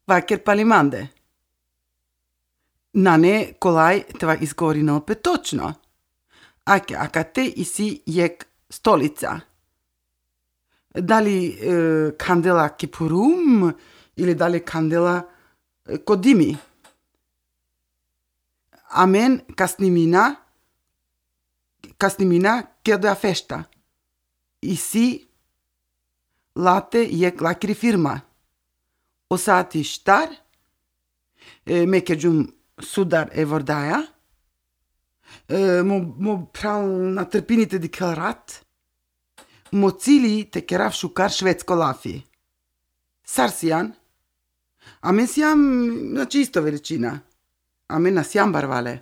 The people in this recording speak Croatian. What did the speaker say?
Vaker palimande. Nane kolaj tva izgovorino opet točno. Akate isi jek stolica. Da li kandela kipurum ili da li kandela kodimi? Amen kasnimina keda festa. Isi late jek lakri firma. O saati štar, mekeđum sudar vordaja, mo pral natrpinite di kelrat, mo cili te kerav šukar švedsko lafi. Sarsijan, amen sjam na čisto veličina, amen na sjam barvale.